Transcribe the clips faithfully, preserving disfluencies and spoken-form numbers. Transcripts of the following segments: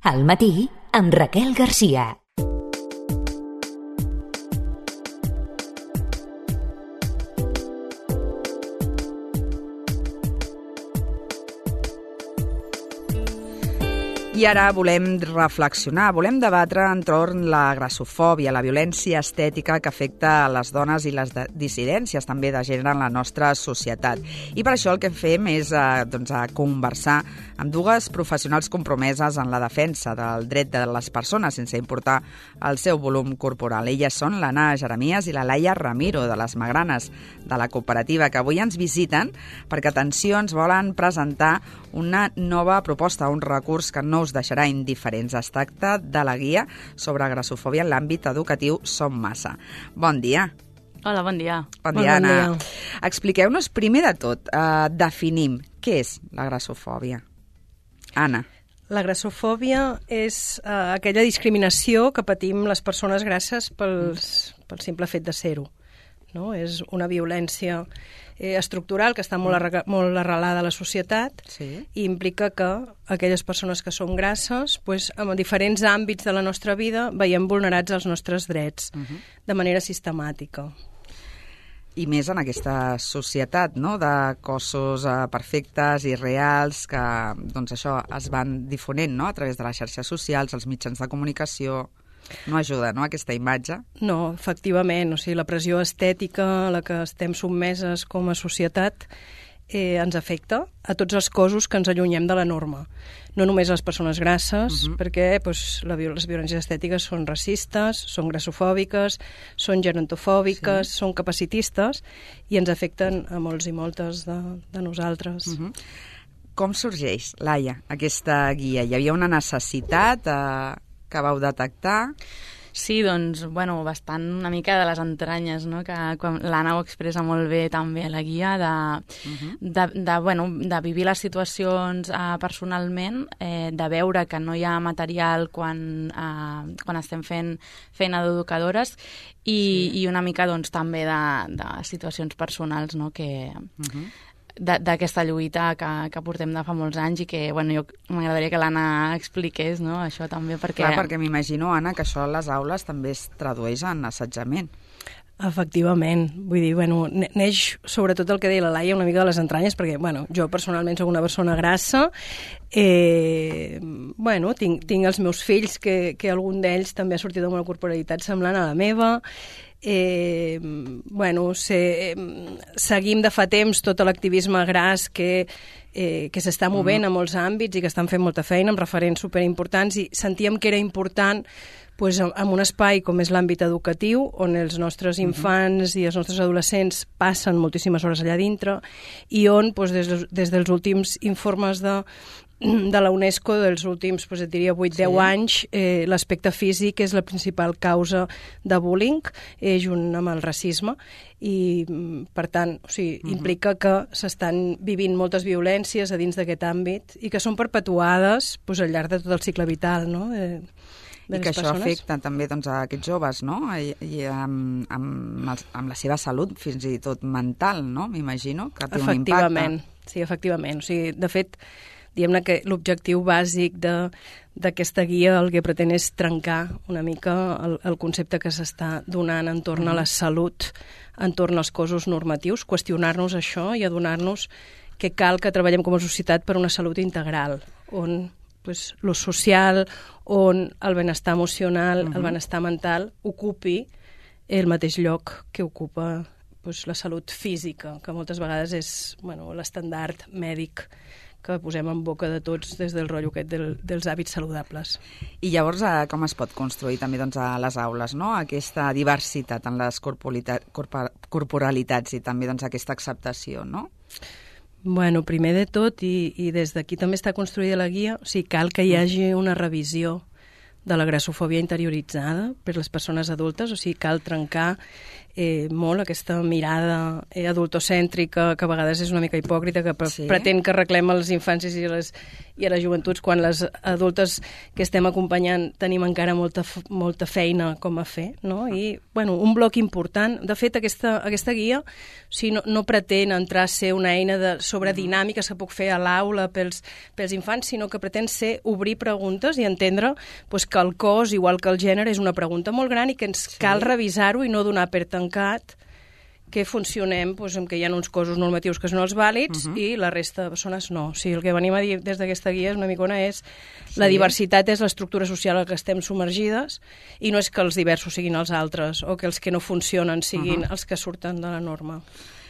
Al matí, amb Raquel Garcia. I ara volem reflexionar, volem debatre entorn la grassofòbia, la violència estètica que afecta a les dones i les dissidències també de gènere en la nostra societat. I per això el que fem és eh, doncs, a conversar amb dues professionals compromeses en la defensa del dret de les persones sense importar el seu volum corporal. Elles són l'Anna Jeremies i la Laia Ramiro, de les Magranes, de la cooperativa, que avui ens visiten perquè, atenció, ens volen presentar una nova proposta, un recurs que no us deixarà indiferents. Es tracta de la guia sobre grassofòbia en l'àmbit educatiu Som Massa. Bon dia. Hola, bon dia. Bon dia, bon Anna. dia. Expliqueu-nos, primer de tot, eh, definim què és la grassofòbia. Anna. La grassofòbia és eh, aquella discriminació que patim les persones grasses pels, pel simple fet de ser-ho. No? És una violència eh, estructural que està molt, arre molt arrelada a la societat, sí. I implica que aquelles persones que són grasses, pues, en diferents àmbits de la nostra vida, veiem vulnerats els nostres drets uh-huh. de manera sistemàtica. I més en aquesta societat, no?, de cossos eh, perfectes i reals que, doncs, això es van difonent, no?, a través de les xarxes socials, els mitjans de comunicació. No ajuda, no?, aquesta imatge? No, efectivament. O sigui, la pressió estètica a la que estem sotmeses com a societat eh, ens afecta a tots els cossos que ens allunyem de la norma. No només a les persones grasses, uh-huh. perquè pues, la, les violències estètiques són racistes, són grassofòbiques, són gerontofòbiques, sí. són capacitistes i ens afecten a molts i moltes de, de nosaltres. Uh-huh. Com sorgeix, Laia, aquesta guia? Hi havia una necessitat eh, que vau detectar? Sí, doncs, bueno, bastant una mica de les entranyes, no?, que l'Anna ho expressa molt bé també a la guia, de, uh-huh. de, de, bueno, de vivir les situacions eh, personalment, eh, de veure que no hi ha material quan, eh, quan estem fent feina d'educadores i, sí. i una mica, doncs, també de, de situacions personals, no?, que... Uh-huh. d'aquesta lluita que, que portem de fa molts anys i que, bueno, jo m'agradaria que l'Anna expliqués, no?, això també, perquè... Clar, perquè m'imagino, Anna, que això a les aules també es tradueix en assetjament. Efectivament. Vull dir, bueno, neix sobretot el que deia la Laia una mica de les entranyes, perquè, bueno, jo personalment soc una persona grassa, eh, bueno, tinc, tinc els meus fills, que, que algun d'ells també ha sortit amb una corporalitat semblant a la meva. Eh, bueno, se, eh, seguim de fa temps tot l'activisme gras que, eh, que s'està movent mm. a molts àmbits i que estan fent molta feina amb referents superimportants, i sentíem que era important pues, en un espai com és l'àmbit educatiu, on els nostres infants mm-hmm. i els nostres adolescents passen moltíssimes hores allà dintre, i on pues, des, des dels últims informes de de la UNESCO dels últims, pues, et diria, vuit deu sí. anys, eh, l'aspecte físic és la principal causa de bullying, eh, junt amb el racisme, i, per tant, o sigui, uh-huh. implica que s'estan vivint moltes violències a dins d'aquest àmbit i que són perpetuades pues, al llarg de tot el cicle vital, no?, eh, I que això afecta també doncs, a aquests joves, no?, I, i amb, amb, els, amb la seva salut, fins i tot mental, no?, m'imagino, que té un impacte. Efectivament, sí, efectivament. O sigui, de fet, diguem-ne que l'objectiu bàsic d'aquesta guia el que pretén és trencar una mica el, el concepte que s'està donant entorn a la salut, entorn als cossos normatius, qüestionar-nos això i adonar-nos que cal que treballem com a societat per una salut integral, on pues, lo social, on el benestar emocional, uh-huh. el benestar mental, ocupi el mateix lloc que ocupa pues, la salut física, que moltes vegades és bueno, l'estandard mèdic que posem en boca de tots des del rotllo aquest del, dels hàbits saludables. I llavors, eh, com es pot construir també doncs, a les aules, no?, aquesta diversitat en les corporalitats i també doncs, aquesta acceptació, no? Bueno, primer de tot, i, i des d'aquí també està construïda la guia, o sigui, cal que hi hagi una revisió de la grassofòbia interioritzada per les persones adultes, o sigui, cal trencar eh, molt aquesta mirada eh, adultocèntrica, que a vegades és una mica hipòcrita, que pre sí. pretén que arreglem els infants i les, i a les joventuts, quan les adultes que estem acompanyant tenim encara molta, molta feina com a fer, no? I, bueno, un bloc important. De fet, aquesta, aquesta guia o sigui, no, no pretén entrar a ser una eina de, sobre dinàmiques que puc fer a l'aula pels, pels infants, sinó que pretén ser obrir preguntes i entendre pues, que el cos, igual que el gènere, és una pregunta molt gran i que ens sí. cal revisar-ho i no donar per tancat que funcionem doncs, amb que hi ha uns cossos normatius que són els vàlids uh -huh. i la resta de persones no. O sigui, el que venim a dir des d'aquesta guia és una micona és sí. la diversitat és l'estructura social en què estem submergides i no és que els diversos siguin els altres o que els que no funcionen siguin uh -huh. els que surten de la norma.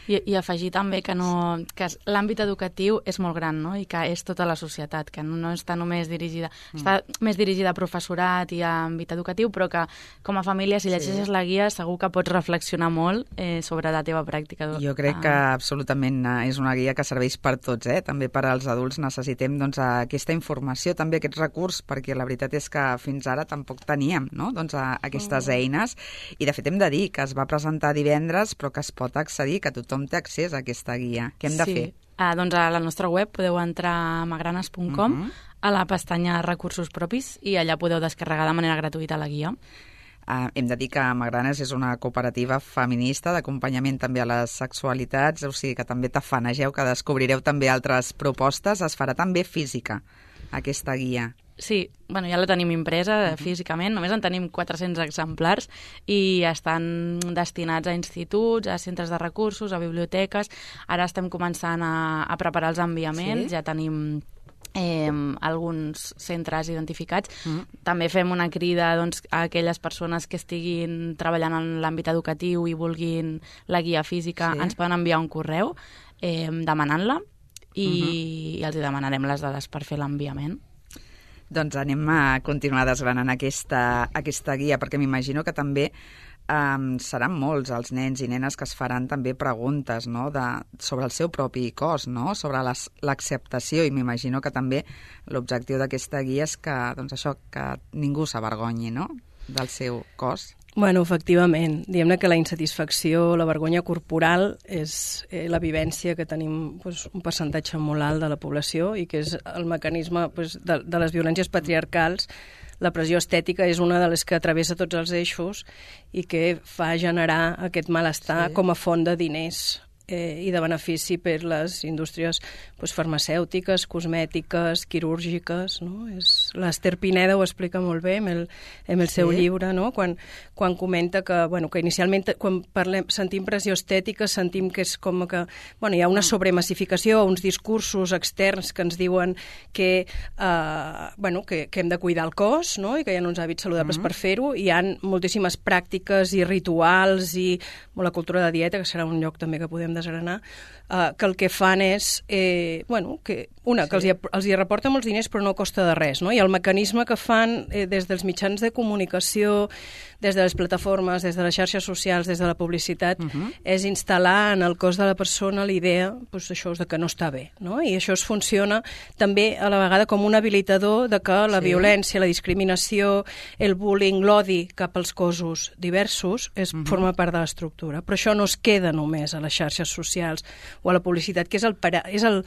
I, i afegir també que, no, que l'àmbit educatiu és molt gran, no? I que és tota la societat, que no, no està només dirigida... Mm. Està més dirigida a professorat i a àmbit educatiu, però que com a família, si llegeixes sí. la guia, segur que pots reflexionar molt eh, sobre la teva pràctica. Jo crec que absolutament és una guia que serveix per tots, eh? També per als adults necessitem doncs, aquesta informació, també aquest recurs, perquè la veritat és que fins ara tampoc teníem no? doncs, a, aquestes mm. eines, i de fet hem de dir que es va presentar divendres, però que es pot accedir, que tothom té accés a aquesta guia. Què hem de sí. fer? Ah, doncs a la nostra web podeu entrar a magranes punt com, uh -huh. a la pestanya Recursos Propis, i allà podeu descarregar de manera gratuïta la guia. Uh, hem de dir que Magranes és una cooperativa feminista d'acompanyament també a les sexualitats, o sigui que també tafanegeu, que descobrireu també altres propostes. Es farà també física, aquesta guia. Sí, bueno, ja la tenim impresa uh-huh. físicament, només en tenim quatre-cents exemplars i estan destinats a instituts, a centres de recursos, a biblioteques. Ara estem començant a, a preparar els enviaments, sí? Ja tenim eh, alguns centres identificats. Uh-huh. També fem una crida doncs, a aquelles persones que estiguin treballant en l'àmbit educatiu i vulguin la guia física, sí? Ens poden enviar un correu eh, demanant-la i, uh-huh. i els demanarem les dades per fer l'enviament. Doncs anem a continuar desgranant aquesta, aquesta guia, perquè m'imagino que també um, seran molts els nens i nenes que es faran també preguntes no? de, sobre el seu propi cos, no? Sobre l'acceptació, i m'imagino que també l'objectiu d'aquesta guia és que, doncs això, que ningú s'avergonyi no? del seu cos. Bueno, efectivament. Diguem-ne que la insatisfacció, la vergonya corporal és eh, la vivència que tenim pues, un percentatge molt alt de la població i que és el mecanisme pues, de, de les violències patriarcals. La pressió estètica és una de les que travessa tots els eixos i que fa generar aquest malestar sí. com a font de diners eh, i de benefici per les indústries pues, farmacèutiques, cosmètiques, quirúrgiques. No? És... L'Ester Pineda ho explica molt bé en el, en el sí. seu llibre, no? quan, quan comenta que, bueno, que inicialment quan parlem, sentim pressió estètica sentim que és com que bueno, hi ha una sobremassificació, uns discursos externs que ens diuen que, eh, bueno, que, que hem de cuidar el cos no? I que hi ha uns hàbits saludables mm-hmm. per fer-ho. Hi ha moltíssimes pràctiques i rituals i bueno, la cultura de dieta, que serà un lloc també que podem desgranar, eh, que el que fan és eh, bueno, que, una, sí. que els hi, els hi reporta molts diners però no costa de res, no? I el mecanisme que fan eh, des dels mitjans de comunicació, des de les plataformes, des de les xarxes socials, des de la publicitat, uh-huh. és instal·lar en el cos de la persona l'idea doncs, això és de que no està bé, no? I això es funciona també a la vegada com un habilitador de que la sí. violència, la discriminació, el bullying, l'odi cap als cossos diversos és, uh-huh. forma part de l'estructura. Però això no es queda només a les xarxes socials o a la publicitat, que és el, para, és el,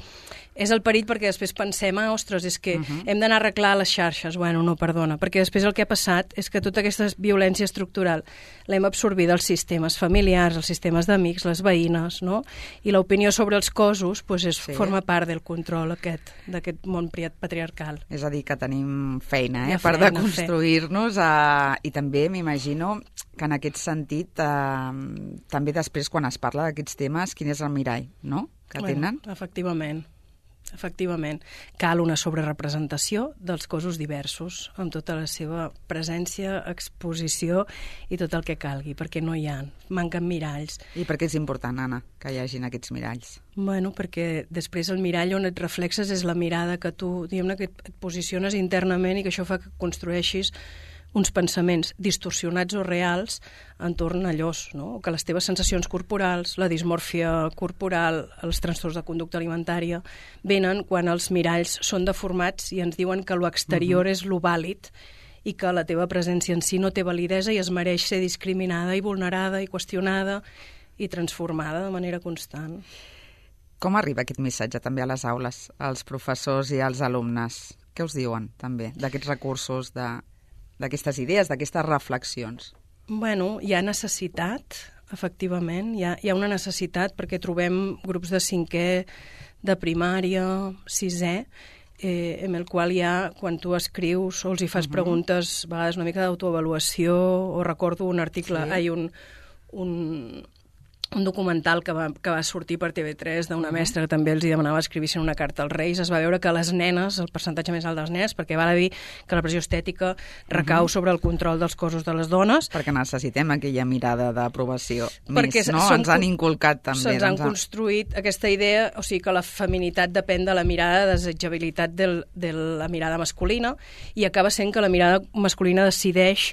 és el perill, perquè després pensem, ah, ostres, és que uh-huh. hem d'anar a arreglar les xarxes. Bueno, no, perdona, perquè després el que ha passat és que tota aquesta violència estructural l'hem absorbida als sistemes familiars, als sistemes d'amics, les veïnes, no? I l'opinió sobre els cossos pues, és, sí. forma part del control aquest, d'aquest món patriarcal. És a dir, que tenim feina, eh? per de construir-nos a... i també m'imagino que en aquest sentit eh, també després quan es parla d'aquests temes, quin és el mirall, no?, que bueno, tenen. Efectivament. Efectivament, cal una sobrerepresentació dels cossos diversos, amb tota la seva presència, exposició i tot el que calgui, perquè no hi ha, manquen miralls. I per què és important, Anna, que hi hagin aquests miralls? Bueno, perquè després el mirall on et reflexes és la mirada que tu, diguem-ne, que et posiciones internament i que això fa que construeixis uns pensaments distorsionats o reals entorn a allò, no? Que les teves sensacions corporals, la dismòrfia corporal, els trastorns de conducta alimentària, venen quan els miralls són deformats i ens diuen que l'exterior uh-huh. és lo vàlid i que la teva presència en si no té validesa i es mereix ser discriminada i vulnerada i qüestionada i transformada de manera constant. Com arriba aquest missatge també a les aules, als professors i als alumnes? Què us diuen també d'aquests recursos, d'aquestes idees, d'aquestes reflexions? Bueno, hi ha necessitat, efectivament, hi ha, hi ha una necessitat perquè trobem grups de cinquè, de primària, sisè, eh, en el qual hi ha, quan tu escrius o els hi fas uh-huh. preguntes, a vegades una mica d'autoavaluació, o recordo un article, sí. ai, un, un, un documental que va, que va sortir per T V tres d'una uh-huh. mestra que també els hi demanava escrivissin una carta als Reis. Es va veure que les nenes, el percentatge més alt dels nens, perquè val a dir que la pressió estètica recau uh-huh. sobre el control dels cossos de les dones. Perquè necessitem aquella mirada d'aprovació més, no? Ens han inculcat també. Se'ns han construït aquesta idea, o sigui que la feminitat depèn de la mirada de desitjabilitat del, de la mirada masculina i acaba sent que la mirada masculina decideix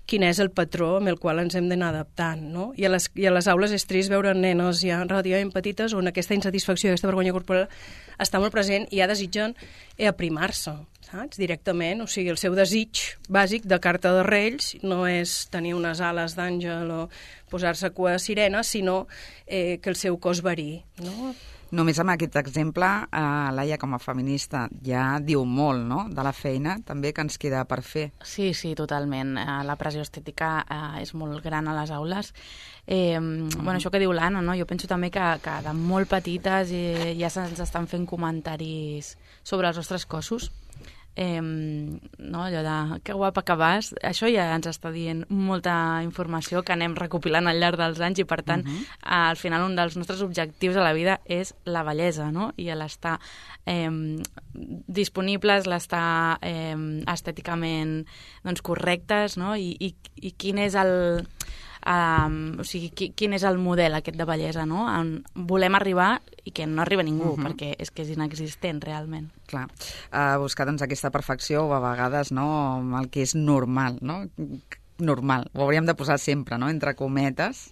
quin és el patró amb el qual ens hem d'anar adaptant, no? I a, les, I a les aules és trist veure nenes ja relativament petites on aquesta insatisfacció, aquesta vergonya corporal està molt present i ja desitgen aprimar-se, saps? Directament, o sigui, el seu desig bàsic de carta de Reis no és tenir unes ales d'àngel o posar-se cua de sirena, sinó eh, que el seu cos varí, no? Només amb aquest exemple, eh, Laia, com a feminista, ja diu molt, no?, de la feina també que ens queda per fer. Sí, sí, totalment. La pressió estètica eh, és molt gran a les aules. Eh, mm. Bueno, això que diu l'Anna, no? Jo penso també que, que de molt petites eh, ja se'ns estan fent comentaris sobre els nostres cossos. Eh, no, allò de que guapa que vas, això ja ens està dient molta informació que anem recopilant al llarg dels anys i per tant uh-huh. al final un dels nostres objectius a la vida és la bellesa, no? I l'estar eh, disponibles, l'estar eh, estèticament doncs, correctes, no? I, i, i quin és el Um, o sigui, qui, quin és el model aquest de bellesa, no? On volem arribar i que no arriba ningú, uh-huh. perquè és que és inexistent realment. Clar, uh, buscar doncs aquesta perfecció o a vegades, no?, el que és normal, no? Normal, ho hauríem de posar sempre, no?, entre cometes.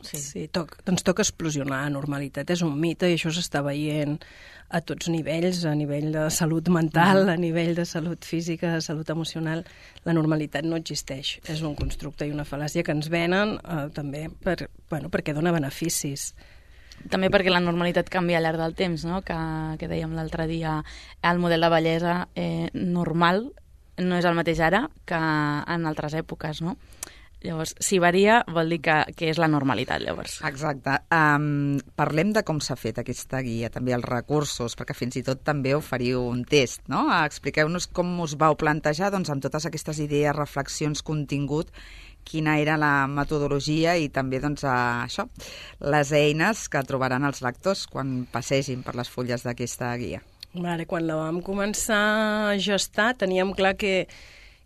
Sí, sí toc, doncs toca explosionar. Normalitat és un mite i això s'està veient a tots nivells, a nivell de salut mental, mm. a nivell de salut física, de salut emocional. La normalitat no existeix. És un constructe i una fal·làcia que ens venen eh, també per, bueno, perquè dona beneficis. També perquè la normalitat canvia al llarg del temps, no? Que, que dèiem l'altre dia, el model de bellesa eh, normal no és el mateix ara que en altres èpoques, no? Llavors, si varia, vol dir que, que és la normalitat, llavors. Exacte. Um, parlem de com s'ha fet aquesta guia, també els recursos, perquè fins i tot també oferiu un test, no? Expliqueu-nos com us vau plantejar, doncs, amb totes aquestes idees, reflexions, contingut, quina era la metodologia i també, doncs, això, les eines que trobaran els lectors quan passegin per les fulles d'aquesta guia. Vale, quan la vam començar a gestar, teníem clar que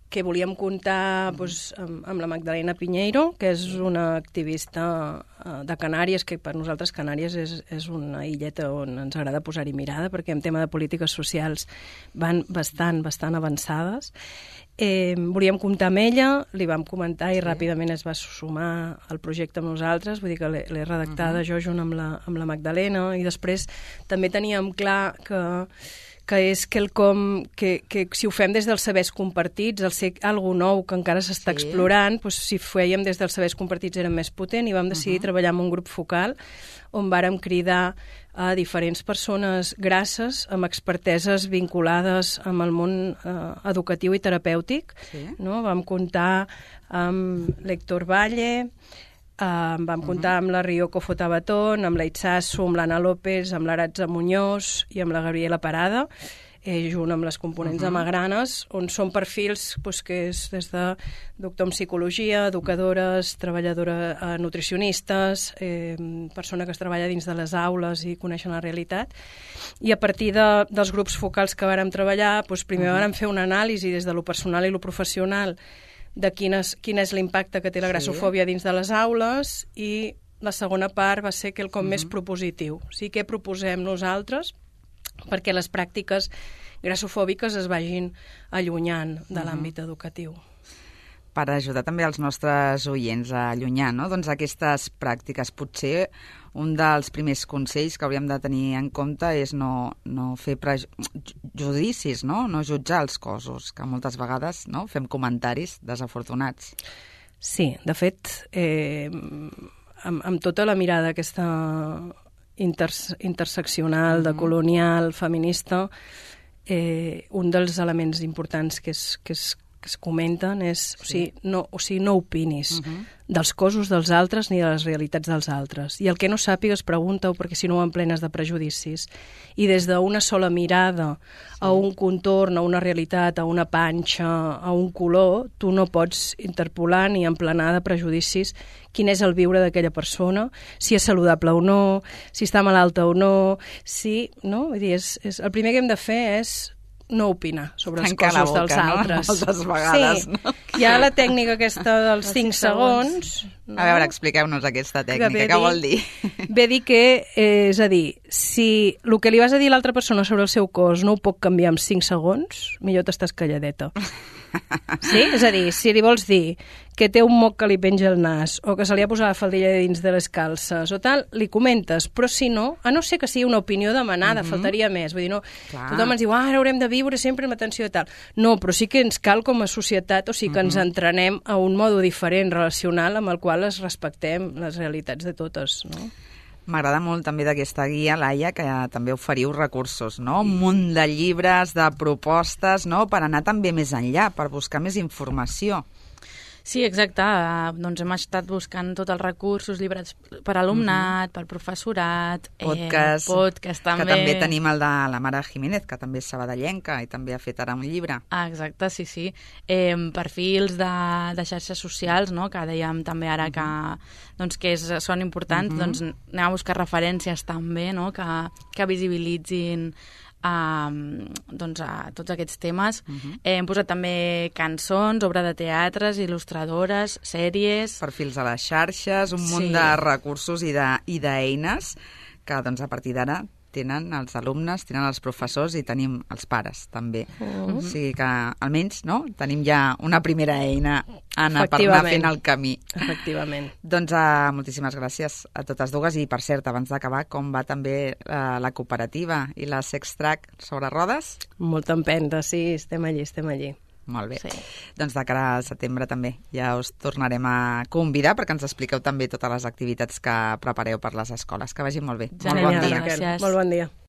que volíem comptar doncs, amb, amb la Magdalena Piñeiro, que és una activista uh, de Canàries, que per nosaltres Canàries és, és una illeta on ens agrada posar-hi mirada, perquè en tema de polítiques socials van bastant, bastant avançades. Eh, volíem comptar amb ella, li vam comentar i sí. ràpidament es va sumar al projecte amb nosaltres, vull dir que l'he redactada uh-huh. jo junt amb la, amb la Magdalena, i després també teníem clar que que és quelcom que, que si ho fem des dels sabers compartits, el ser algo nou que encara s'està sí. explorant, doncs, si ho fèiem des dels sabers compartits era més potent i vam decidir uh-huh. treballar amb un grup focal on vàrem cridar a diferents persones grasses amb experteses vinculades amb el món eh, educatiu i terapèutic. Sí. No? Vam comptar amb l'Héctor Valle, Uh, vam comptar uh-huh. amb la Ryoko Fotabaton, amb la Itzasu, amb l'Anna López, amb l'Aratza Muñoz i amb la Gabriela Parada, eh, junt amb les components uh-huh. de Magranes, on són perfils pues, que és des de doctor en psicologia, educadores, treballadores eh, nutricionistes, eh, persona que es treballa dins de les aules i coneixen la realitat. I a partir de, dels grups focals que vàrem treballar, pues, primer uh-huh. vàrem fer una anàlisi des de lo personal i lo professional de quin és, quin és l'impacte que té la grassofòbia dins de les aules, i la segona part va ser quelcom uh-huh. més propositiu. O sigui, què proposem nosaltres perquè les pràctiques grassofòbiques es vagin allunyant de uh-huh. l'àmbit educatiu. per ajudar també els nostres oients a allunyar, no? Doncs aquestes pràctiques. Potser un dels primers consells que hauríem de tenir en compte és no, no fer prejudicis, no? No jutjar els cossos, que moltes vegades, no, fem comentaris desafortunats. Sí, de fet, eh, amb, amb tota la mirada aquesta inters interseccional, de colonial, feminista, eh, un dels elements importants que es, que es, que es comenten és, sí. o sigui, no, o sigui, no opinis uh-huh. dels cossos dels altres ni de les realitats dels altres. I el que no sàpigues, pregunta-ho, perquè si no ho emplenes de prejudicis. I des d'una sola mirada sí. a un contorn, a una realitat, a una panxa, a un color, tu no pots interpolar ni emplenar de prejudicis quin és el viure d'aquella persona, si és saludable o no, si està malalta o no, si... No? Vull dir, és, és, el primer que hem de fer és no opinar sobre els Tancar cossos boca, dels no? altres. Moltes vegades, sí. no? Hi ha la tècnica aquesta dels cinc segons. No? A veure, expliqueu-nos aquesta tècnica, que què vol dir? Ve dir que, eh, és a dir, si el que li vas a dir a l'altra persona sobre el seu cos no ho pot canviar en cinc segons, millor t'estàs calladeta. Sí? És a dir, si li vols dir que té un moc que li penja al nas o que se li ha posat la faldilla dins de les calces o tal, li comentes, però si no, a no ser que sigui una opinió demanada, mm-hmm. faltaria més. Vull dir, no, clar. Tothom ens diu, ah, ara haurem de viure sempre amb atenció i tal. No, però sí que ens cal com a societat, o sigui que mm-hmm. ens entrenem a un mode diferent relacional amb el qual es respectem les realitats de totes, no? M'agrada molt també d'aquesta guia, Laia, que també oferiu recursos, no? Un munt de llibres, de propostes, no? Per anar també més enllà, per buscar més informació. Sí, exacte. Doncs hem estat buscant tots els recursos, llibres per alumnat, mm-hmm. per professorat, podcast, eh, podcast també. Que també tenim el de la Mare Jiménez, que també és sabadellenca i també ha fet ara un llibre. Ah, exacte, sí, sí. Eh, perfils de, de xarxes socials, no?, que dèiem també ara que, doncs, que és, són importants, mm-hmm. doncs anem a buscar referències també, no?, que, que visibilitzin a, doncs a tots aquests temes. Uh-huh. eh, hem posat també cançons, obra de teatres, il·lustradores, sèries... Perfils a les xarxes, un munt sí. de recursos i d'eines que doncs, a partir d'ara tenen els alumnes, tenen els professors i tenim els pares també. Uh-huh. O sigui que almenys no? Tenim ja una primera eina, Anna, per anar fent el camí. Efectivament. Doncs uh, moltíssimes gràcies a totes dues i per cert, abans d'acabar, com va també uh, la cooperativa i la Sextrack sobre rodes? Molta empenta, sí, estem allí, estem allí. Molt bé. Sí. Doncs de cara al setembre també ja us tornarem a convidar perquè ens expliqueu també totes les activitats que prepareu per les escoles. Que vagi molt bé. Genial, molt bon dia. gràcies. Molt bon dia.